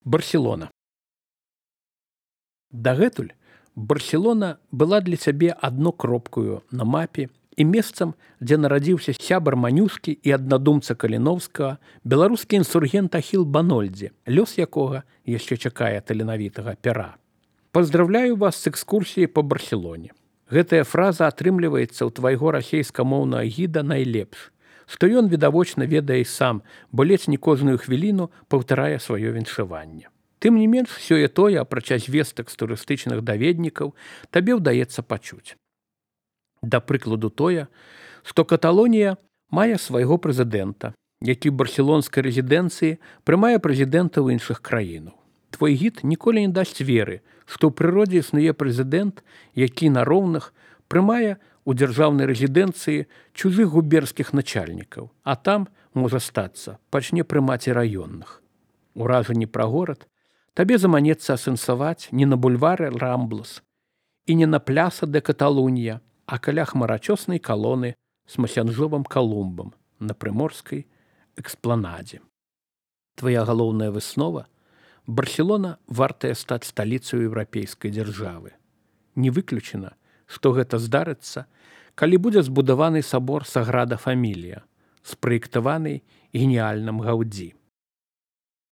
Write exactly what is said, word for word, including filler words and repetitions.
Барселона. Дагэтуль Барселона была для цябе адно кропкаю на мапе і месцам, дзе нарадзіўся сябар Манюскі і аднадумца Каліновскага, беларускі інсургент Ахіл Банольдзе, лёс якога яшчэ чакае таленавітага пера. Паздравляю вас з экскурсіяй па Барселоне. Гэтая фраза атрымліваецца ў твайго расейскамоўнага гіда найлепш, што ён відавочна ведае і сам, бо ледзь не кожную хвіліну паўтарае сваё віншаванне. Тым не менш, сёе-тое, апрача звестак з турыстычных даведнікаў, табе ўдаецца пачуць. Да прыкладу тое, што Каталонія мае свайго прэзідэнта, які ў барселонскай рэзідэнцыі прымае прэзідэнтаў іншых краінаў. Твой гід ніколі не дасць веры, што ў прыродзе існуе прэзідэнт, які на роўных прымае у дзяржаўнай рэзідэнцыі чужых губернскіх начальнікаў, а там, можа стацца, пачне прымаць і раённых. Уражанні пра горад табе заманецца асэнсаваць не на бульвары Рамблас і не на пляса де Каталунья, а каля хмарачоснай калоны з масянжовым Калумбам на прыморскай экспланадзе. Твая галоўная выснова – Барселона вартая стаць сталіцаю еўрапейскай дзяржавы. Не выключана, што гэта здарыцца, калі будзе збудаваны сабор Саграда Фамілія, спраектаваны геніяльным Гаўдзі.